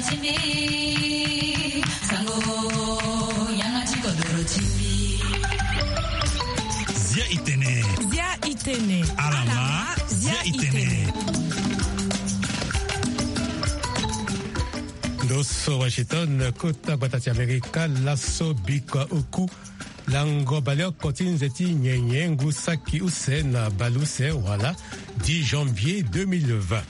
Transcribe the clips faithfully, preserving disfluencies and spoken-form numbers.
Zia itene. Zia itene. Alama. Zia itene. Ndo so Washington, kota gbata ti Amerika, laso bikua oku. Lango baleoko ti nze ti nyenye ngu saki use na baleuse wala dix janvier deux mille vingt.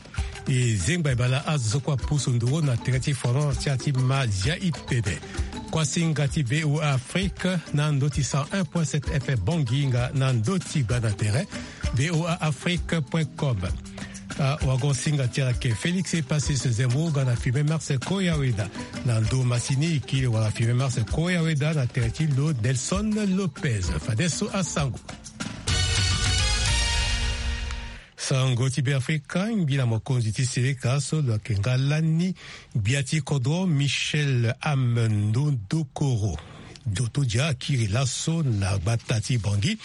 E zengba e bale azo so kue apusu nduru na tere ti fono ti a ti ma zia itene. Kuasinga ti V O A Afrique na ndö ti cent un point sept F M Bangui nga na ndö ti gba na tere V O A Afrique point com. Ah, wago singa ti ala ke Félix Epasis Zembo nga na Firmin Marcel Koyaweda. Na ndo masini e kiri wala Firmin Marcel Koyaweda na tere ti lo Nelson Lopez. Fadeso asango. Sango ti Beafrika, ngbila mokonzi ti seleka so lo yeke nga lani gbia ti kodro Michel Amendondokoro. Dotodia akiri laso na gbata ti Bangui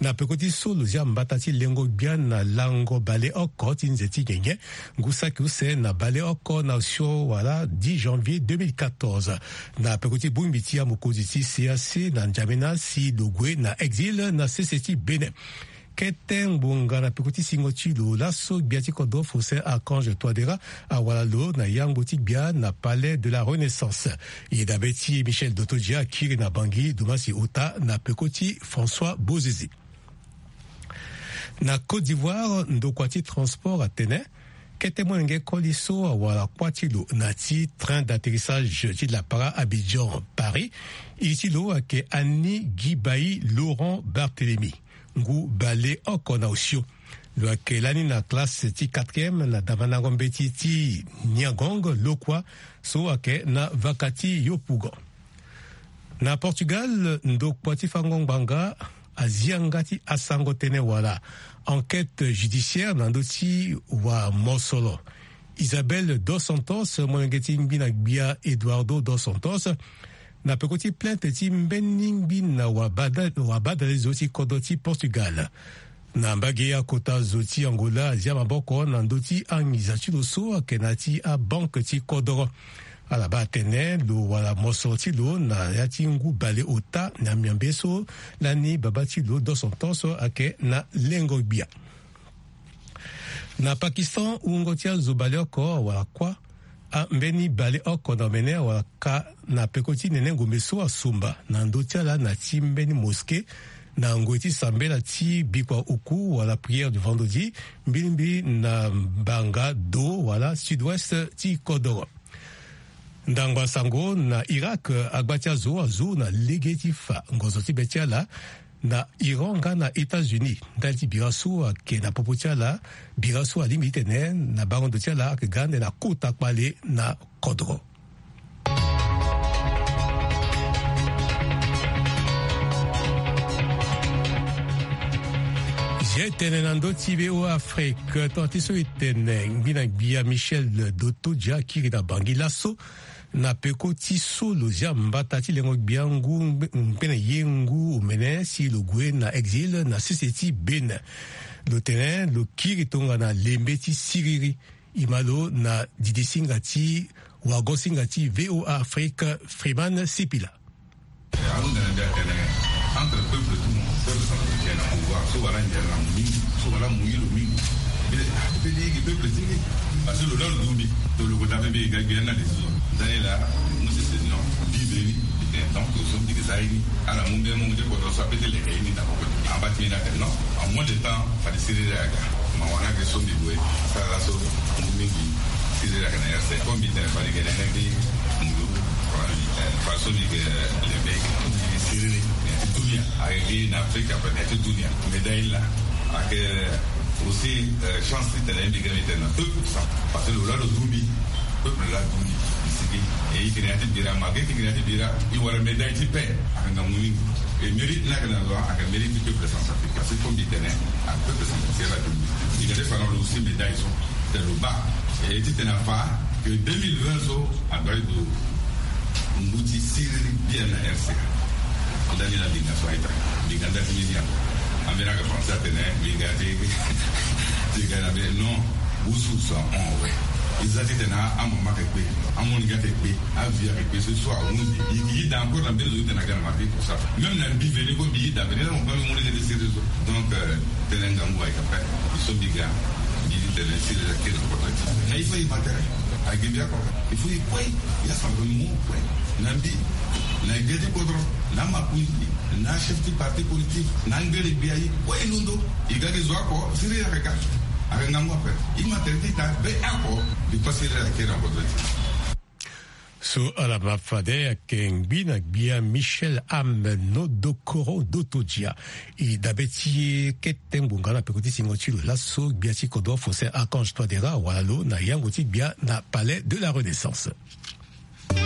na peko ti so lo zia mbata ti lengo gbia na lango baleoko ti nze ti nyenye ngu saki use na baleoko na osio wala dix janvier deux mille quatorze. Na peko ti bongbi ti amokonzi ti C A C na N'Djamena si lo gue na exil na sese ti Bénin. Kete ngbonga na peko ti singo ti lo laso gbia ti kodro Faustin Archange Touadéra awara lo na yango ti gbia na Palais de la Renaissance. E dabe ti Michel Dotodia akiri na Bangui dumasi ota na peko ti François Bozizé. Na Côte d'Ivoire, ndokua ti transport atene kete molenge koli so awara kuâ ti lo na ti train d'atterrissage ti lapara Abidjan Paris, iri ti lo ayeke Annie Guibaï Laurent Barthélemy, ngu baleoko na osio. Lo yeke lani na classe ti quatrième na damandango mbeti ti Niagong lokua so ayeke na vaka ti Yopougon. Na Portugal, ndokua ti fango ngbanga azia nga ti asango tënë wala enquête judiciaire na ndö ti wamosoro Isabel dos Santos, molenge ti ngbi na gbia Eduardo dos Santos, na peko ti plainte ti mbeni ngbi na wabada-, wabadale zo ti kodro ti Portugal. Na mbage akota zo ti Angola azia maboko na ndö ti anginza ti lo so ayeke na ya ti abanke ti kodoro. Ala baa atene lo wala mosoro ti lo na ya ti ngu baleota na miombe so lani baba ti lo dos Santos ayeke na lengo gbia. Na Pakistan, wungo ti azo baleoko awara kuâ. Ambeni baleoko na omene awara ka na peko ti nene ngombe so asumba na ndö ti ala na ti mbeni mosquée na ngoi ti sambela ti bikua oku wala prière du vendredi, mbilimbili na mbanga do wala sud-ouest ti kodoro. Ndangba sango na Irak, agba ti azo azu na lege ti fa ngonzo ti be ti ala na Iran nga na États-Unis ndali ti bira so ayeke na popo ti ala. Bira so alingbi titene na bango ndo ti ala ayeke ga ande na kota kpale na kodro. Zia e tene na ndö ti V O A Afrique, tonga ti so e tene ngbi na gbia Michel Dotodia akiri na Bangui laso na peko ti so lo zia mbata ti lengo gbia ngu ngbe-, ngbe na ye ngu omene si lo gue na exil na sese ti Bénin. Lo tene lo kiri tongana lembe ti siriri. E ma lo na didi singa ti wago singa ti V O A Afrique, Freeman Sipila. Ahunda na mbi atene, entre peuple tout, peuple centrafricain na pouvoir, so wala nzere na mingi, so wala muyi lo mingi. Mbi tene, ah, mbi tene ye gi peuple ti mbi. Parce que lo laa lo du mbi, to lo ko dape mbi ga gbia na décision. Ndani laa, mu décision, mbi be ni, mbi tene donc so mbi ke za ye ni. Ala mu mbi mu nde ko do so ape ti leke ye ni na poko. Amba ti ni atene non, en moins de temps, fade siriri aga. Ma wara nga ke so mbi gue, sara laso, mu mingi. Siriri aga na R C. Comme mbi tene fade gene nga mbi ndu, eh, façon mbi ke lembe, mbi siriri, na ti dunia. Ayeke na Afrique, après, na ti dunia. Médaille laa, ayeke aussi, euh, chance titene mbi ke mbi tene na peuple ça. Parce que lo laa lo du mbi, peuple laa du mbi. Sigi, e i yeke na ya ti bira, malgré ti yeke na ya ti bira, e wara médaille ti paix. Ayeke ngangu mingi. E mérite ni ayeke na lo, ayeke mérite ti peuple centrafricain. Parce que comme mbi tene, ayeke peuple centrafricain laa du mbi. Mbi ga ti fa na lo aussi médaille so. Tene lo baa. E titene afa que deux mille vingt so, adoit lo ngu ti siriri bien na R C A. Ndani na ndinga so a-ita. Ndinga nda ti ni ni ape. Ambeni ayeke français atene, ndinga ti, ndinga na mbi, non. Wusu so ahon awe. E za titene amama ayeke kpe, amolenge ayeke kpe, avi ayeke kpe so so ahunzi. E yeke daa encore na mbeni zo titene aga na mardi pour ça. Même na mbi veni kue mbi yeke daa veni na mo baa mbi molenge nde sérieux so. Donc tene ngangu ayeke ape. E so mbi ga mbi titene sérieux ayeke na kota ti na il faut e ma tere. Ayeke mbi ako il faut e kue. E asamba mo kue na mbi, na gbia ti kodro, na makonzi, na chef ti parti politique, na ngere gbia, e kue e londo. E ga gi zo ako sérieux ayeke ga. Ayeke ngangu ape. E ma tere ti ta be ako. Mbi pasi lere ayeke na kodro ti. So ala ma fade ayeke ngbi na gbia Michel Am Nodokoro Dotodia. E dabe ti e kete ngbonga na peko ti singo ti lo laso gbia ti kodro Faustin Archange Touadéra awara lo na yango ti gbia na Palais de la Renaissance. E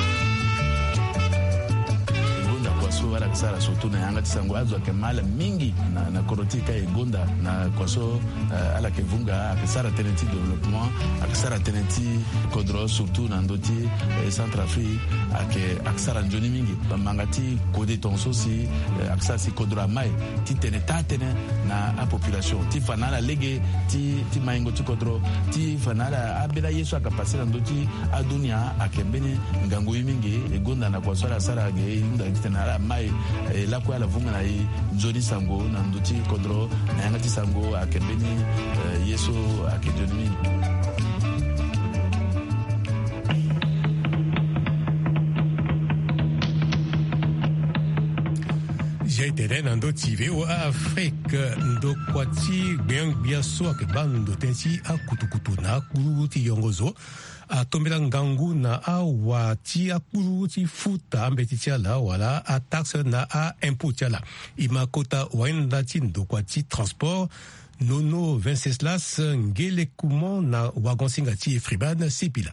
gonda kua so ala yeke sara surtout na yanga ti sango azo ayeke ma ala mingi na, na kodro ti e ka e gonda na kua so, eh, ala yeke vunga ayeke sara tënë ti développement, ayeke sara tënë ti kodro surtout na ndö ti, eh, Centrafrique ayeke, ayeke sara nzoni mingi. Manga ti kode tongaso si, eh, ayeke sara si kodro amai titene taa tënë na apopulation ti fa na ala lege ti, ti maingo ti kodro, ti fa na ala ambeni aye so ayeke pase na ndö ti adunia ayeke mbeni ngangu ye mingi. E gonda na kua so ala sara ge e hunda titene ala mai, eh, lakue ala vunga na e nzoni sango na ndö ti kodro na yanga ti sango ayeke mbeni, eh, ye so ayeke nzoni mingi. Zia e tene na ndö ti V O A Afrique, ndokua ti gbengbia so ayeke baa ndo tënë ti akutukutu na akpuru ti yongo zo atombela ngangu na awa ti akpuru ti futa ambeti ti ala wala ataxe na aimpôt ti ala. E ma kota wayenda ti ndokua ti transport Nono Venceslas Ngelekuman na wagon-singa ti e Freeman Sipila.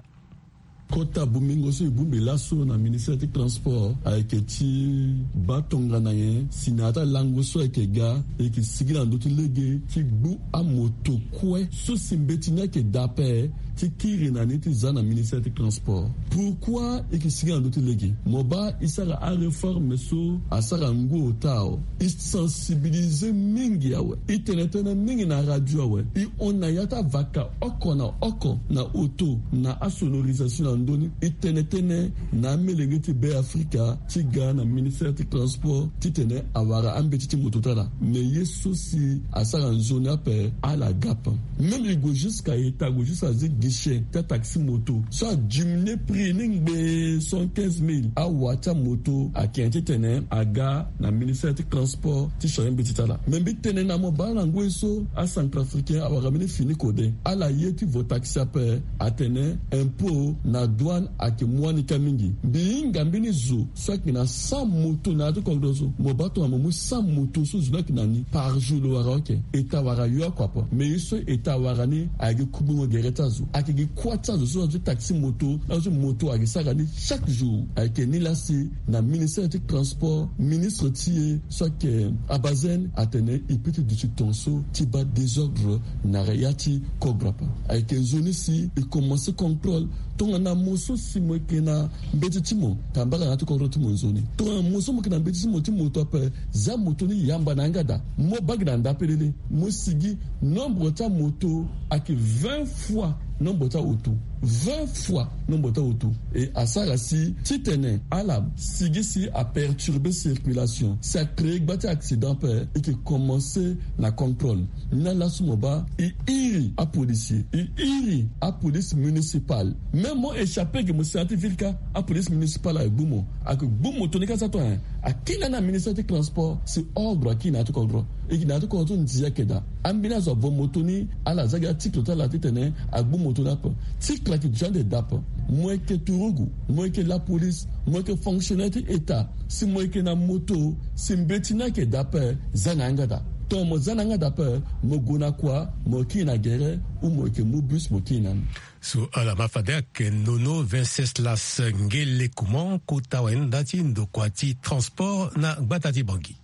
Kota bongbingo so e bongbi laso na ministère ti transport ayeke ti baa tongana nyen si na ya ti alango so ayeke ga e yeke sigi na ndö ti lege ti gbu amoto kue so si mbeti ni ayeke daa ape ti kiri na ni ti za na ministère ti transport. Pourquoi e yeke sigi na ndö ti lege? Mo baa e sara aréforme so asara ngu ota awe. E sensibiliser mingi awe. E tene tënë mingi na radio awe. E hon na ya ti avaka oko na oko na auto na asonorisation na ndö ni. E tene tënë na amolenge ti Beafrika ti ga na ministère ti transport titene awara ambeti ti moto ti ala. Me ye so si asara nzoni ape ala ga ape. Même e gue jusqu'à eta gue jusqu'à zi guichet ti ataxi moto so adiminuer prix ni ngbe cent quinze mille. Awa ti amoto ayeke nyen titene aga na ministère ti transport ti changer mbeti ti ala. Me mbi tene na mo baa na ngoi so acentrafricain awara mbeni fini kode. Ala ye ti vo taxi ape atene impôt na douane ayeke mu wani ka mingi. Mbi hinga mbeni zo so ayeke na cent moto na ya ti kodro so. Mo baa tongana mo mu cent moto so zo ni ayeke na ni par jour lo wara oke. Eta wara yo oko ape. Me ye so eta wara ni ayeke gi kugbingo gere ti azo. Ayeke gi kuâ ti azo so azo ti taxi moto, azo ti moto ayeke sara ni chaque jour. Ayeke ni laa si na ministère ti transport, ministre ti e so ayeke Abazen atene e peut ti duti tongaso ti baa désordre na ya ti kodro ape. Ayeke nzoni si e commencer contrôle. Tongana mo so si mo yeke na mbeti ti mo tambara na ya ti kodro ti mo nzoni. Tongana mo so mo yeke na mbeti ti mo ti moto ape, za moto ni yamba na yanga daa. Mo baa gi na ndapelele, mo sigi nombre ti amoto ayeke vingt fois nombre ti auto. Vingt fois nombre ti auto. E asara si titene ala sigi si aperturber circulation, si acréer gba ti accident ape, e yeke commencer na contrôle. Ni laa laso mo baa e iri apolisier, e iri apolice municipale. Même mo échappé ge mo si na ya ti ville ka, apolice municipale ayeke gbu mo. Ayeke gbu moto ni ka sa tongana nyen? Akiri na ni na ministère ti transport si ordre akiri na ya ti kodro. E yeke na ya ti kodro so ndia ayeke daa. Ambeni azo avo moto ni, ala za gi aticle ti ala titene agbu moto ni ape. Ticle ayeke duti ande daa ape. Mo yeke turugu, mo yeke lapolice, mo yeke fonctionnaire ti état, si mo yeke na moto, si mbeti ni ayeke daa ape, za na yanga daa. Tongana mo za na yanga daa ape, mo gue na kua, mo kiri na gere, ou mo yeke mu bus mo kiri na ni. So ala ma fade ayeke Nono Venceslas Ngelekuman, kota wayenda ti ndokua ti transport na gbata ti Bangui.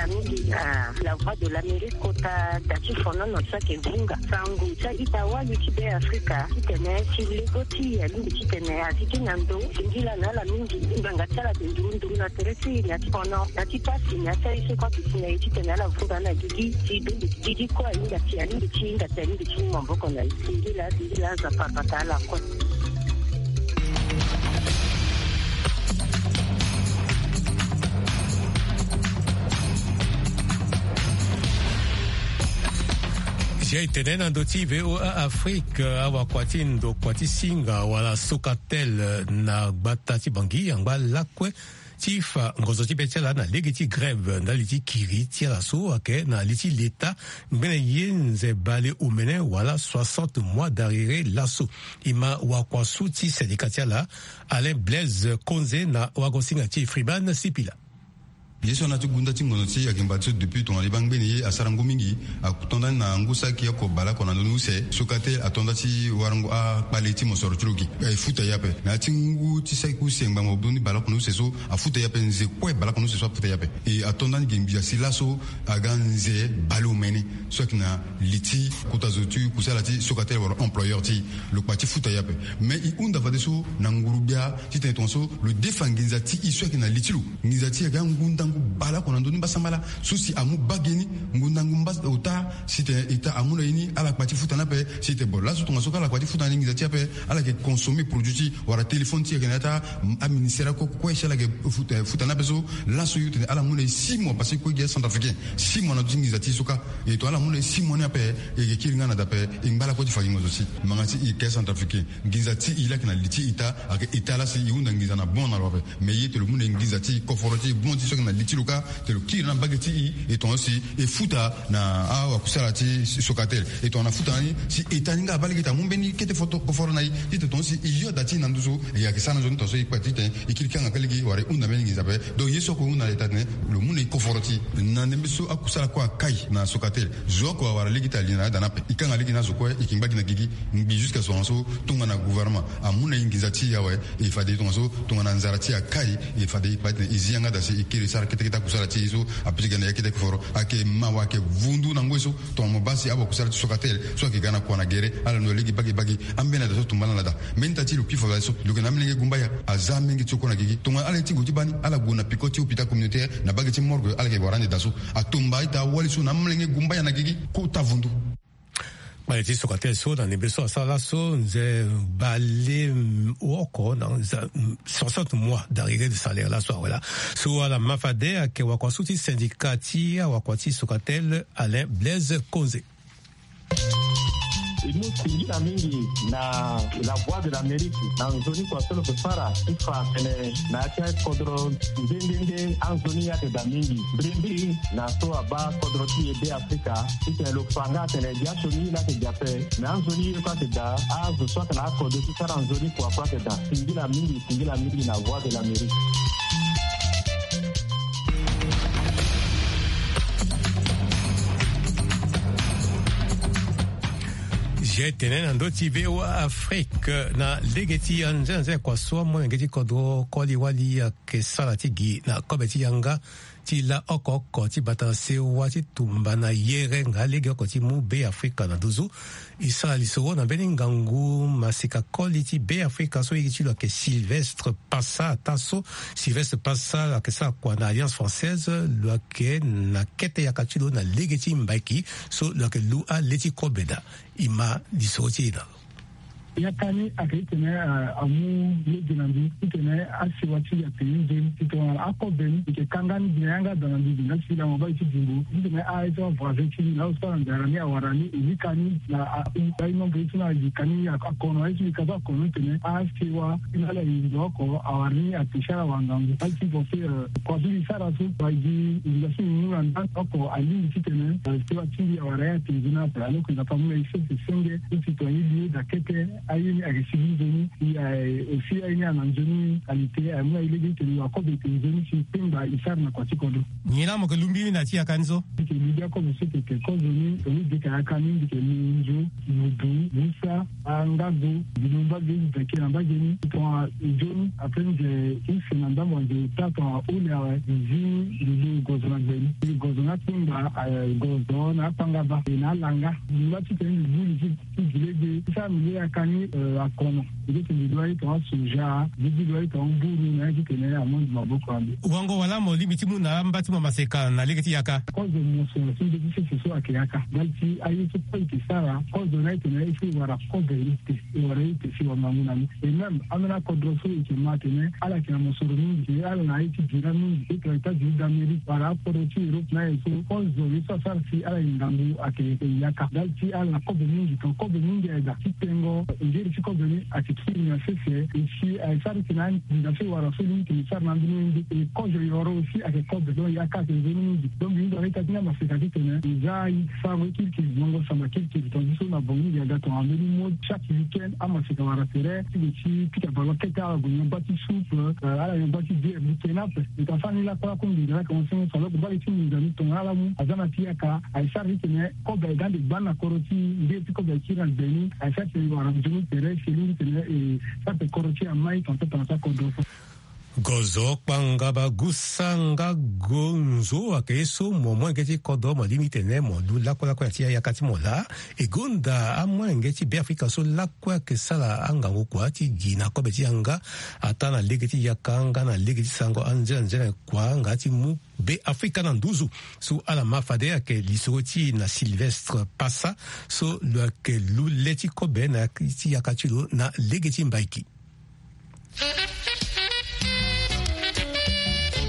Mingi na La Voix de l'Amérique kota da ti fonono so ayeke vunga sango ti a-ita wali ti Be Afrika titene si lego ti e alingbi titene azi ti na ndo. Singila na ala mingi ngbanga ti ala ayeke nduru nduru na tere ti e na ti fono na ti pasi na ti aye so kue ayeke si na e titene ala vunga na gigi si dongo gigi kue ahinga ti alingbi ti hinga ti alingbi ti mu maboko na e. Singila singila aza parpata ala kue. Si aye tene na ndö ti VOA Afrique, awakua ti ndokua ti singa wala Socatel na gbata ti Bangui angba lakue ti fa ngonzo ti be ti ala na lege ti grève ndali ti kiri ti ala so ayeke na li ti leta ngbene ye nze bale omene wala soixante mois d'arriéré laso. E ma wakua so ti syndicat ti ala, Alain Blaise Konze na wagosinga ti e Freeman Sipila. Ye so ana ti gunda ti ngonzo ti e ayeke mbati so depuis tongana liba ngbene ye asara ngu mingi. Atonda ni na ngu saki oko baleoko na ndoni use. Socatel atonda ti warango akpale ti mosoro ti lo gi. E futa ye ape na ya ti ngu ti saki use ngbanga ndoni baleoko na use so afuta ye ape. Nze kue baleoko na use so afuta ye ape. E atonda ni gi ngbia si laso aga nze baleomene so ayeke na li ti kota zo ti kusala ti Socatel wala employeur ti e. Lo kpa ti futa ye ape. Me e hunda fadeso na nguru-gbia titene tongaso lo defa nginza ti e so ayeke na li ti lo. Nginza ti e aga ngundangu baleoko na ndö ni mbasambala so si amu bage ni ngundangu mbas ota. Si tene eta amu na e ni ala kpa ti futa ni ape. Si tene bon laso tongaso ka ala kpa ti futa ni nginza ti e ape. Ala yeke consommer produit ti wala téléphone ti e ayeke na ya ti aministère akue kue si ala yeke futa ni ape so. Laso yo tene ala mu na e six mois parce que kue gi acentrafricain six mois na ndö ti nginza ti e so ka. E tongana ala mu na e six mois ni ape e yeke kiri nga na da ape. E ngba lakue ti fa gi ngonzo ti e ngbanga ti e yeke acentrafricain. Nginza ti e laa ayeke na li ti eta ayeke eta laa si e hunda nginza na bon na lo ape. Me ye tene lo mu na e nginza ti e koforo ti e bon ti e so ayeke na li ti lo ka tene lo kiri na mbage ti e. E tongaso si e futa na awakusala ti Socatel e tongana futa na ni si eta ni nga abaa lege ti amu mbeni kete foto koforo na e. Titene tongaso si e yo da ti e na nduzu e yeke sara na nzoni tongaso e kpa titene e kiri kanga kue lege wala e hunda mbeni nginza ape. Donc ye so oko e hunda na eta tene lo mu na e koforo ti e na ndembe so akusala kue akai na Socatel. Zo oko awara lege ti ali na ya da ni ape e kanga lege na azo kue e yeke ngba gi na gigi. Ngbi jusqu'à so tongaso tongana gouvernement amu na e nginza ti e awe. E fade tongaso tongana nzara ti e akai e fade e kpa titene e zi yanga da si e kiri sara ketekete akusala ti e so ape ti ga na ya kete koforo. Ayeke mawa ayeke vundu na ngoi so. Tongana mo baa si awakusala ti Socatel so ayeke ga na kua na gere ala no lege bage bage. Ambeni ada so tumba na ala da. Mbeni ita ti lo kpi fa fade so lo yeke na amolenge gumbaya. Aza amolenge ti oko na gigi tongana ala ye ti gue ti baa ni ala gue na peko ti hôpital communautaire na bage ti morgue ala yeke wara ande da so. Atumba ita awali so na amolenge gumbaya na gigi kota vundu. Kpale ti Socatel so na ndembe so asara laso nze bale oko na soixante mois d'arriéré de salaire laso awe laa. So ala ma fade ayeke wakua so ti syndicat ti awakua ti Socatel Alain Blaise Konze. E mu singila mingi na La Voix de l'Amérique na nzoni kua so lo yeke fara ti fa tene na ya ti akodro nde nde nde anzoni ayeke daa mingi. Mbirimbiri na so abaa kodro ti e Be Afrika titene lo fa nga atene biaso ni laa ayeke gi ape. Me anzoni ye kue ayeke daa azo so ayeke na akode ti sara nzoni kua kue ayeke daa. Singila mingi singila mingi na Voix de l'Amérique. Zia e tene na ndö ti VOA Afrique na lege ti anzenanze kua so amolenge ti kodro koli wali ayeke sara ti gi na kobe ti yanga ti la oko oko ti bata na sewa ti tumba na yere nga lege oko ti mu Be Afrika na nduzu. E sara lisoro na mbeni ngangu masika koli ti Be Afrika so iri ti lo ayeke Sylvestre Passa. Ataa so Sylvestre Passa lo ayeke sara kua na Alliance Française, lo ayeke na kete yaka ti lo na lege ti mbaiki so lo yeke lu ale ti kobe daa. E ma lisoro ti e na lo. Yaka ni ayeke titene amu lege na mbi titene asewa ti mbi atene nzoni titene akobe ni e yeke kanga ni gi na yanga daa na mbi gi nga si lango baa e ti bimbo titene aye so avoisin ti mbi na azo so ala nzara ni awara ni e lika ni na ahu aye nombre ye so na alika ni akono aye so lika so akono titene asewa ti na ala e ndo oko awara ni ate si ala wara ngangu aye ti force. Kua so e sara so wala gi nginza so e mu na ndani oko alingbi titene sewa ti mbi awara ye ate nzoni ape alors que Nzapa amu na e sese senge so si tongana e li ye daa kete aye ni ayeke sigi nzoni. E aussi aye ni ana nzoni qualité amu na e lege titene lo akobe ete nzoni si e kpengba e sara na kua ti kodro. Nyen laa mo yeke lu mbiri na ya ti yaka ni so? Mbi yeke lu gi akobe so tene kozo ni tongana e deka yaka ni mbi yeke lu nzo mudu musa. Nga zo, mbi mu mbage, mbi beke na mbage ni. Tongana nzoni, après nze use na ndambo ya nze ota, tongana ole awe, mbi zi mbi gozo na gbe ni. Mbi gozo na akpengba, eh, gozo na akpangaba, e na alanga. Mbi ngba titene mbi buli ti, ti gi lege. Ti sara mbi le yaka ni, eh, akono. Mbi leke mbi lua ye tongana soja, mbi gi lua ye tongana mburu, na ye titene amondi maboko na mbi. Wango wala mo lingbi ti mu na amba ti mo maseka na lege ti yaka? Kozo mo so, si nde ti sese so ayeke yaka. Ndali ti aye so kue e yeke sara, kozo na ye tene e si wara kozo ye te. E wara ye te si wara ngangu na ni. Et même, ambeni akodro so e yeke ma atene ala yeke na mosoro mingi, e ala na ye ti bira mingi, e tongana États-Unis d'Amérique, wala akodro ti Europe na ye so, kozo ye so asara si ala yeke ngangu ayeke yaka. Ndali ti ala na kobe mingi, tongana kobe mingi ayeke daa ti tengo, ngeri ti kobe ni ayeke kiri na sese, e si, e sara ti tene anginza so e wara so lingbi tene e sara na ambeni wenge, e kozo yoro aussi ayeke kobe, donc yaka ayeke nzoni mingi. Donc mbi hunda na ita ti ni amaseka ti tene e za aye ti sarango ye kirikiri, ngongo samba kirikiri, tongana so na Bangui e ga tongana ambeni mo chaque week-end amaseka wara tere ti gue ti pika ballon kete, ala gue nyon bâ ti soupe, euh, ala nyon bâ ti bière, mbi tene ape. Mbi ta sara ni lakue lakue, nginza ni ayeke mo sengo so, alors que mbage ti nginza ni tongana ala mu aza na ti yaka, aye sara ti tene kobe aye ga ande gbani na kodro ti e, ngeri ti kobe aye kiri na gbe ni, aye sara ti tene e wara nzoni tere si e lingbi tene e sara ti kodro ti e amai, tongana so tongana so akodro so. Gozo, kpangaba, gusa nga gonzo ayeke ye so mo molenge ti kodro mo lingbi tene mo lu lakue lakue na ti ayaka ti mo laa. E gonda amolenge ti Beafrika so lakue ayeke sara angangu kua ti gi na kobe ti yanga, ataa na lege ti yaka nga na lege ti sarango anzenanzena kua nga ti mu Beafrika na nduzu. So ala ma fade ayeke lisoro ti e na Sylvestre Passa, so lo yeke lu le ti kobe na ti yaka ti lo na lege ti Mbaiki.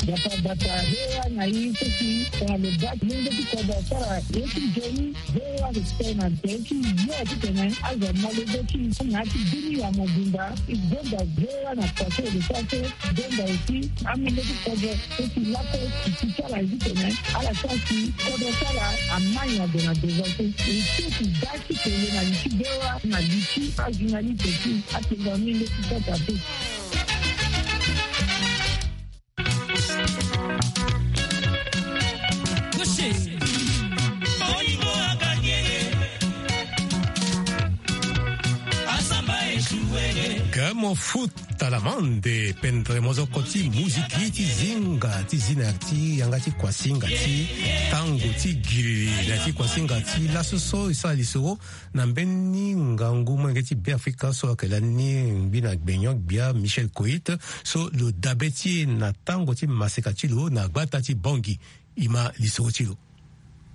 Gbata gbata, V O A na e so si tongana lo baa ti lenge ti kodro asara ye ti nzoni, V O A ayeke tene na tere ti yo titene azo amolenge ti e na ya ti bini ya mobimba. E gonda V O A na kua so e yeke sara so, e gonda aussi amolenge ti kodro so si lakue e si ti ala ye titene ala sara si kodro ti ala amai na gue na devant so. E so si da ti kele na li ti V O A na li ti ajournaliste ti atengo amolenge ti Centrafrique. Ke mo futa lamande pendere mozoko ti muziki ti zinga ti zi na ti yanga ti kuasinga ti tango ti giri na ti kuasinga ti laso so e sara lisoro na mbeni ngangu molenge ti Beafrika so ayeke lani ngbi na gbenyo-gbia Michel Koit, so lo dabe ti e na tango ti maseka ti lo na gbata ti Bangui. E ma lisoro ti lo.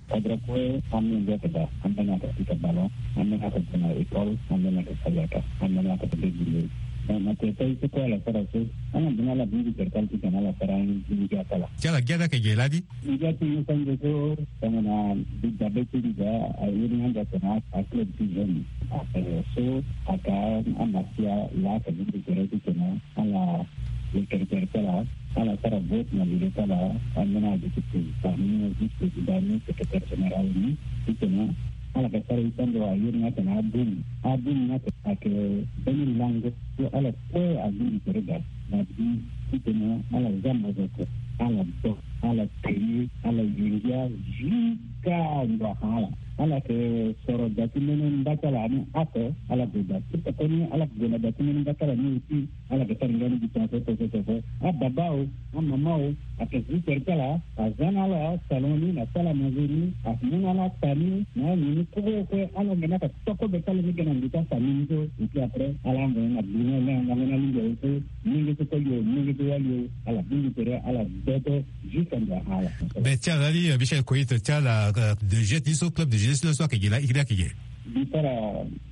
Kodro kue, ambeni ayeke daa, ambeni ayeke pika ballon, ambeni ayeke gue na école, ambeni ayeke sara yaka, ambeni ayeke débrouiller. Donc na tere ti aye so kue ala sara so, ala bino ala bongbi tere ti ala titene ala sara ngia ti ala. Ti ala ngia ni ayeke ge lani? Ngia ti ngia ti ange so, tongana mbi dabe ti mbi daa, a iri ni ande atene a club ti jeune. So aka amasia laa ayeke bongbi tere titene ala le kerekere ti ala, ala sara vote na lege ti ala, ambeni ala duti président ni, vice président ni, secrétaire général ni, titene ala yeke sara ye ti ando aye ni atene abum. Abum ni ayeke mbeni lango so ala kue abongbi tere daa na bi titene ala za mozoko, ala do, ala te ye, ala ye ngia jusqu'à ndo ahara ala. Ala yeke soro da ti mbeni mba ti ala ni oko, ala gue da ti koko ni, ala gue na da ti mbeni mba ti ala ni aussi. Ala yeke sara ngia ni gi tongaso tongaso tongaso. Ababa o, amama o, ayeke zi tere ti ala, aza na ala salon ni na ti ala manger ni, amu na ala ata ni na ala nyen ni kue kue. Ala yeke na ala toko be ti ala ni ge na ndo ti afamille ni so. Et puis après ala ango na gbu ni, ala ango na lingbi aye so, molenge so koli o, molenge so wali o, ala bongbi tere, ala dodo jusqu'à ndo ahara. Be ti ala ni, Michel Koit, ti ala, euh, de jeu ti so, club de jeu ti lo so ayeke ge laa, iri ayeke ge. Mbi sara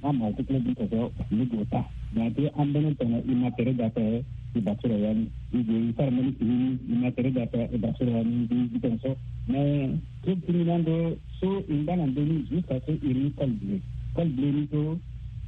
ama ti club ni kozo, mbi gue ota. Donc ti ambeni tongana e ma tere daa ape, e basura ya ni. E gue e sara mbeni fini ni, e ma tere daa ape, e basura ya ni, mbi gi tongaso. Mais club ti mbi ni ando so e ngba na ndö ni jusqu'à so e iri ni Col Bleu. Col Bleu ni so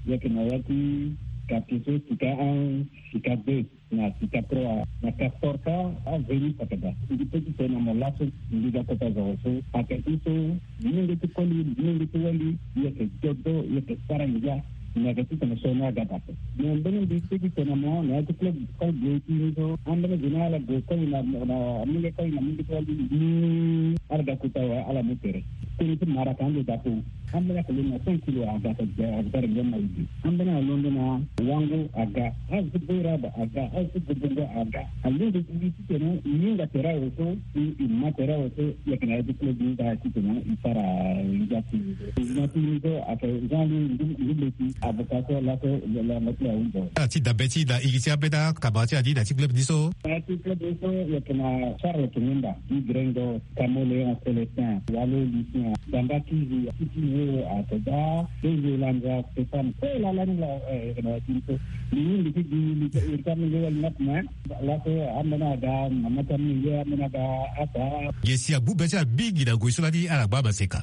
e yeke na ya ti quartier so Sika un, Sika deux. Na Sika trois, na Castor ka, avenue Sakada. Mbi pe ti tene na mo laso, mbi ga kota zoro so, ayeke ti so, molenge ti koli, molenge ti wali, e yeke dodo, e yeke sara ngia, me ayeke ti tene so ni aga daa ape. Me mbeni mbi pe ti tene na mo, na ya ti club, club ti mbi so, ambeni gene ala gue koli na, na, molenge koli na molenge ti wali. Ala ga kota awe, ala mu tere. Koni ti maraka ande dapo. Ambeni ake lo na cinq kilo aga, aga, aga rengo na ibi. Ambeni alondo na wango aga. Azo ti boy raba aga, azo ti bobongo aga. Alondo ti gi titene i hinga tere awe so, i, i ma tere awe so, i yeke na ya ti club ni da titene i sara ngia ti. Na ti ni so ake Jean Louis Ndu-, Ndubeti, avocat so laso, la, la, la, la, la. Ah, ti dabe ti na iri ti ambeni akabara ti adi na ti club ni so. Na ti club ni so, i yeke na Charles Kinunda, i grengo. Camoléon Célestin, Walo Lucien, Damba Kizi, Titi Wo, Atoda, Benzo Lanza, Stéphane, kue laa lani laa, eh, na tinto. Ni ni ti di, ni ti, ni ti, ni wali nat, mais laso ambeni aga, mama ti ambeni aga, ata. Ye si agbu be ti ala mingi na ngoi so lani ala gba maseka.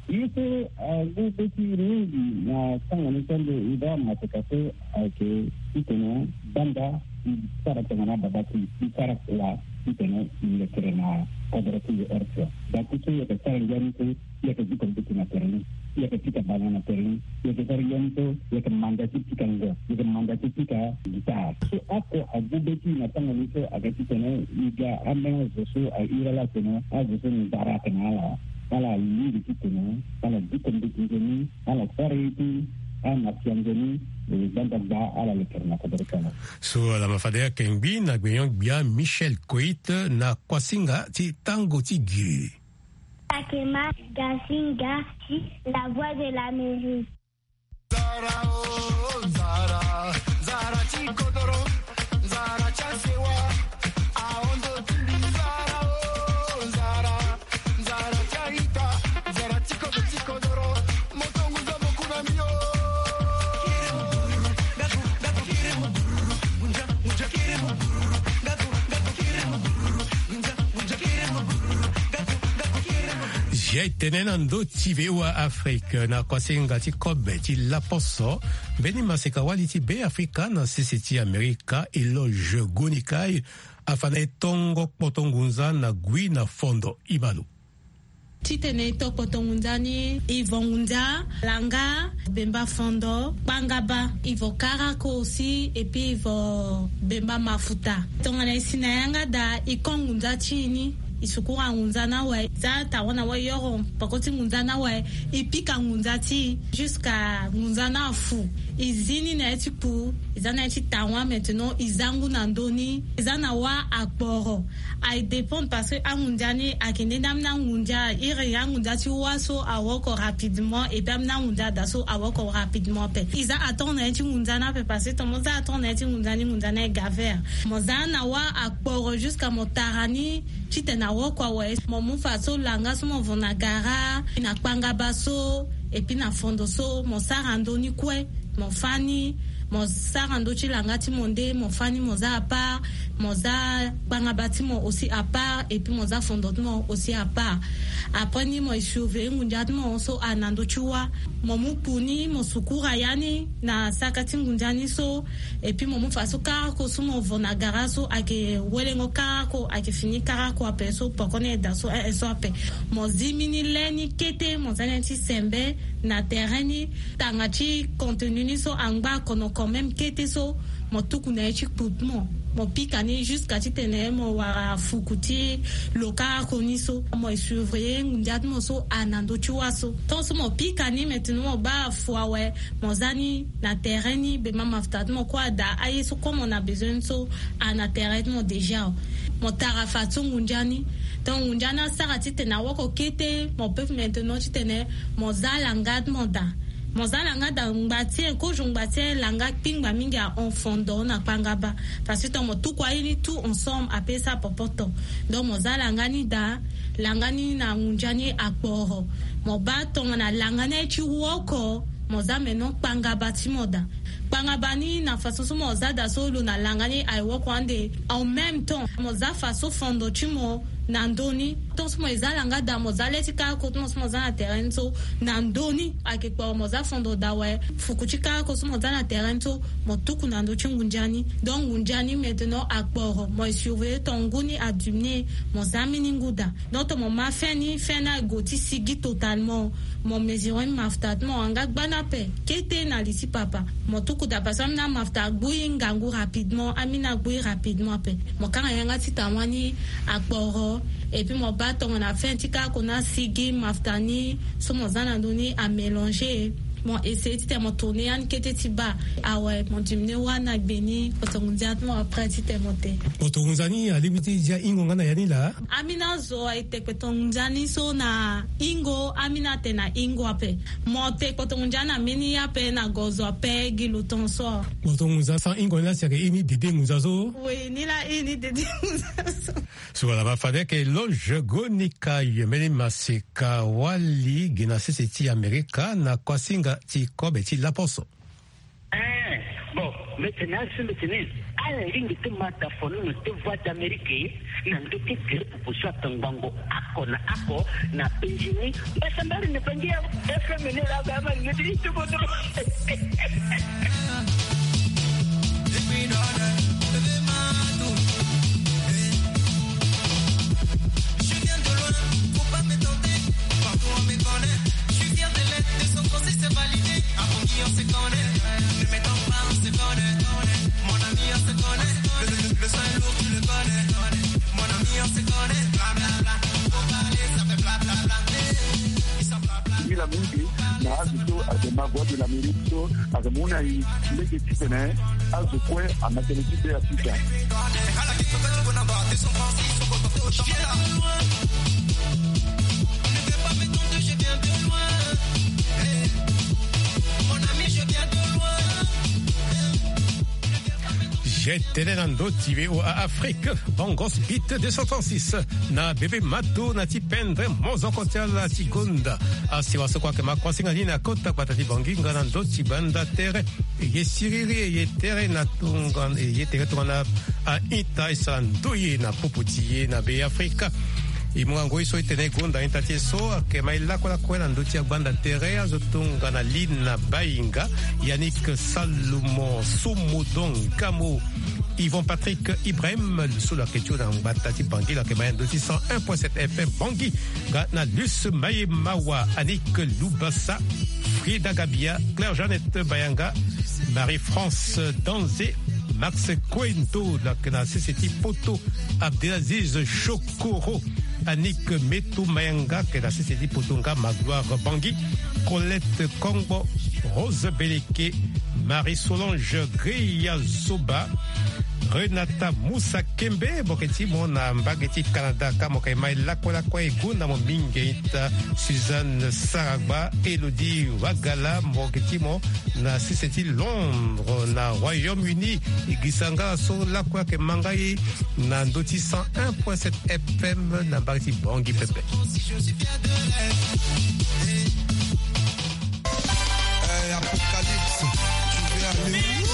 Ye so agbu be ti mingi na tanga ni so ande i baa maseka so ayeke titene banda i sara tongana babâ ti i sara kua titene i lekere na kodro ti i orchestre. Bati so i yeke sara ngia ni so, i yeke diko mbeti na tere ni, i yeke pika bana na tere ni, i yeke sara ngia ni so, i yeke manda ti pika ngo, i yeke manda ti pika guitare. So oko agbu be ti i na tanga ni so ayeke titene i ga ambeni azo so ahiri ala atene azo so nzara ayeke na ala. Ala lingbi titene ala diko mbeti nzoni, ala sara ye ti ana sia nzoni, eh, gbanda gba ala lekere na kodoro ti ala. So ala ma fade ayeke ngbi na gbenyo-gbia Michel Koit na kuasinga ti tango ti gi. Takema Gasinga ti La Voix de l'Amérique. Nzara, oh, nzara, nzara ti kodoro, nzara ti asewa, ahondo ti mbi, nzara, oh, nzara, nzara ti a-ita, nzara ti kodoro, ti kodoro, moto ngunza mo ku na mbi, oh. Zia e tene na ndö ti V O A Afrique na kuasinga ti kobe ti laposo, mbeni maseka-wali ti Beafrika na sese ti Amerika, Eloge Gonikai, afa na e tongo kpoto ngunza na gui na fondo. Ibalo. Titene e to kpoto ngunza ni, e vo ngunza, langa, bemba fondo, kpangaba, e vo karako aussi, et puis e vo bemba mafuta. Tongana e si na yanga daa, e ko ngunza ti e ni, e sukura ngunza ni awe, e za tawana wayoro, peko ti ngunza ni awe, e pika ngunza ti e, jusqu'à ngunza ni afu. E zi ni na ya ti kpu, e za na ya ti tawa maintenant, e za ngu na ndö ni, e za na wâ akporo. Aye dépendre parce que angunza ni ayeke nde nde ambeni angunza, iri angunza ti wâ so awoko rapidement, et puis ambeni angunza ada so awoko rapidement ape. E za attendre na ya ti ngunza ni ape parce que tongana mo za attendre na ya ti ngunza ni, ngunza ni aye ga vert. Mo za na wâ akporo jusqu'à mo tara ni titene awoko awe. Mo mu fadeso langa so mo vo na gara, na kpangaba so, et puis na fondo so, mo sara ndö ni kue. Mo fâ ni, mo sara ndö ti langa ti mo nde, mo fâ ni, mo za à part, mo za kpangaba ti mo aussi à part, et puis mo za fondo ti mo aussi à part. Après ni mo e surveiller ngunza ti mo so a na ndö ti wâ. Mo mu kpu ni, mo sukura ya ni na saka ti ngunza ni so, et puis mo mu fadeso karako so mo vo na gara so ayeke welengo karako, ayeke fini karako ape so poko ni aye daa so, eh, eh, so ape. Mo zi mbeni le ni kete, mo za ni ti sembe na terrain ni, tanga ti contenu ni so angba kono quand même kete so, mo tuku na ye ti kpu ti mo, mo pika ni jusqu'à titene mo wara fuku ti lo karako ni so. Mo e surveiller ngunza ti mo so a na ndö ti wâ so. Tant so mo pika ni maintenant mo baa afu awe, mo za ni na terrain ni, bemba mafuta ti mo kue ada, aye so kue mo na besoin ni so a na terrain ti mo déjà. Mo tara fadeso ngunza ni. Donc ngunza ni asara titene awoko kete, mo peut maintenant titene mo za langa ti mo daa. Mo za langa daa ngba ti e, kozo ngba ti e, langa kpingba mingi ahon fondo na kpangaba. Parce que tant mo tuku aye ni tout ensemble ape sa popoto. Donc mo za langa ni daa, langa ni na ngunza ni akporo. Mo baa tongana langa ni aye ti woko, mo za maintenant kpangaba ti mo daa. Kpangaba ni na façon so mo za daa so lo na langa ni aye woko ande. En même temps, mo za fadeso fondo ti mo na ndö ni. Tant so mo e za langa daa, mo za le ti karako ti mo so mo za na terrain ni so na ndö ni. Ayeke kporo mo za fondo daa awe, fuku ti karako so mo za na terrain ni so, mo tuku na ndö ti ngunza ni. Donc ngunza ni maintenant akporo, mo e surveiller tant ngu ni adiminuer, mo za mbeni ngu daa. Donc tant mo ma fin ni, fin ni aye gue ti sigi totalement. Mo mesurer mafuta ti mo, anga gbani ape kete na li ti papa. Mo tuku daa parce que ambeni amafuta agbu e ngangu rapidement, ambeni agbu e rapidement ape. Mo kanga yanga ti tawa ni akporo. Et puis mo baa tongana fin ti ka oko na sigi mafuta ni so mo za na ndö ni amélanger. Mo essayer titene mo tourner yani kete ti baa. Awe, mo diminuer wâ na gbe ni kpotongo ndia ti mo après titene mo te. Kpotongo ndia ni alingbi ti zia hingo nga na ya ni laa. Ambeni azo aye te kpotongo ndia ni so na hingo, ambeni atene na hingo ape. Mo te kpotongo ndia na mbeni ye ape na gozo ape gi lo tongaso. Kpotongo ndia sans hingo ni laa si ayeke iri ni dede ngonza so. Oui, ni laa iri ni dede ngonza so. So wala ma fade yeke loge gonika ye mbeni maseka wali gi na sese ti Amerika na kuasinga ti kobe ti laposo. Eh, bon, mbi tene asi mbi tene ala lingbi ti ma ta fono na te Voix d'Amérique na ndö ti groupe so atongbango oko na oko na penzi ni. Mbasambari na bangi ya F M ni la ga ma ngeti ti bodo. Je viens de loin, faut pas me tenter. Partout on me connaît. Je suis fier de l'être, de son conseil c'est validé. Avant qui on se connaît, ne m'étonne pas, on se connaît. Mon ami, on se connaît. Le, le, le, le sang est lourd, tu le connais. Mon ami, on se connaît. Bla, bla, bla. Faut parler, ça fait bla, bla, bla. Hey, ils sont bla, bla, bla. Mingi mingi na azo so ayeke ma Voix de l'Amérique so ayeke mu na e lege titene azo kue amata tënë ti be afrika. Ye tënë na ndö ti V O A Afrique, Bongos Beat deux cent trente-six na bebe mato na ti pendre mozoko ti ala ti gonda. Asiwa so kue ayeke ma kuasinga ni na kota gbata ti Bangui nga na ndö ti gbanda tere. Ye siriri ye tere na tongana, ye tere tongana a-ita e sara ndoye na popo ti e na Beafrika. E mu ngoi so e tene gonda a-ita ti e so ayeke ma e lakue lakue na ndö ti agbanda tere azo tongana Lina Bainga, Yannick Salomon, Somodon Gamo, Yvon Patrick Ibrahim, lo so lo yeke tio na ngbata ti Bangui, lo yeke ma e na ndö ti cent un point sept F M Bangui, nga na Luce Mayemawa, Annick Lubasa, Frida Gabia, Claire Jeannette Bayanga, Marie-France Danze, Max Coento, lo yeke na sese ti poto, Abdelaziz Chokoro, Annick Meto Mayanga, lo yeke na sese ti poto nga Magloire Bangui, Colette Kongbo, Rose Beleke, Marie-Solange Greya Zoba, Renata Moussa Kembe, mo yeke ti mo na mbage ti Canada, ka mo yeke ma e lakue lakue e gonda mo mingi a-ita, Suzanne Saragba, Elodie Wagala, mo yeke ti mo na sese ti Londres, na Royaume-Uni. E gisa nga so lakue ayeke ma nga e na ndö ti cent un point sept F M na mbage ti Bangui pepe. Eh, Apocalypse, tu veux aller où?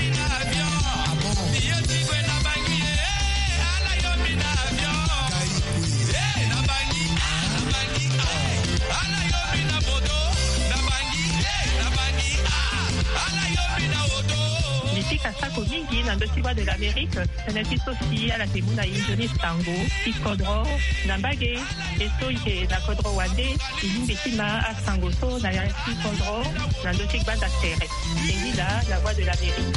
Ah bon? Mbi pika sako mingi na ndö ti Voix de l'Amérique. Tënë ti so si ala yeke mu na e nzoni sango ti kodro na mbage. E so e yeke na kodro wande, e lingbi ti ma asango so na ya ti kodro na ndö ti gbanda tere. E ni laa la Voix de l'Amérique.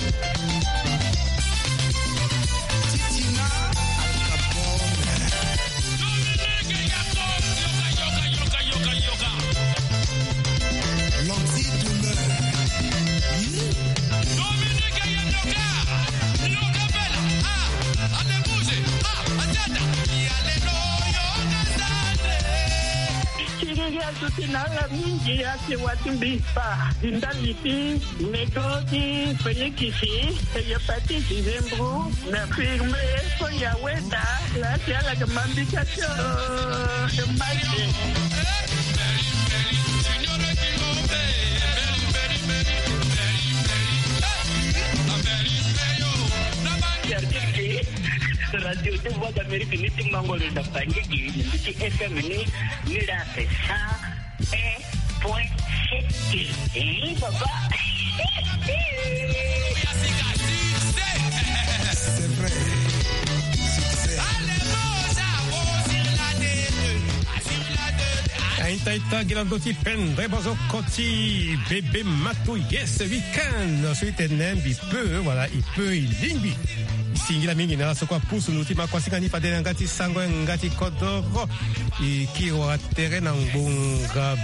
Siriri azo ti na ala mingi ake wati mbi fa ti ndali ti nego ti felikisi, hépatite, zimbro, na firme so ya weda. Laa si ala yeke ma mbi ka ti o mbage. Radio ti Voix d'Amérique ni ti mango lo na Bangui gi, ni ti F M ni, ni la fait cent un point sept. Eh, papa. C'est vrai. Succès. Ita ita gi na ndö ti pendre bozo koti bebe mato. Yes, weekend so itene mbi peu, voilà, i peu i lingbi. Singila mingi na ala so kue apusu nduti ma kuasinga ni fade na nga ti sango nga ti kodoro. I kiri wara tere na ngbonga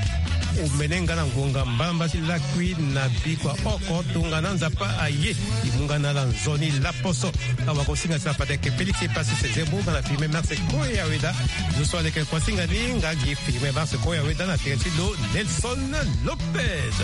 omene nga na ngbonga mbalamba ti lakui na bikua oko tongana nzapa aye. I mu nga na ala nzoni laposo. Awa kosinga ti la fade ke Félix e pasi se zebo nga na filme merci koya weda. Zo so aleke kuasinga ni nga gi filme merci koya weda na tere ti lo Nelson Lopez.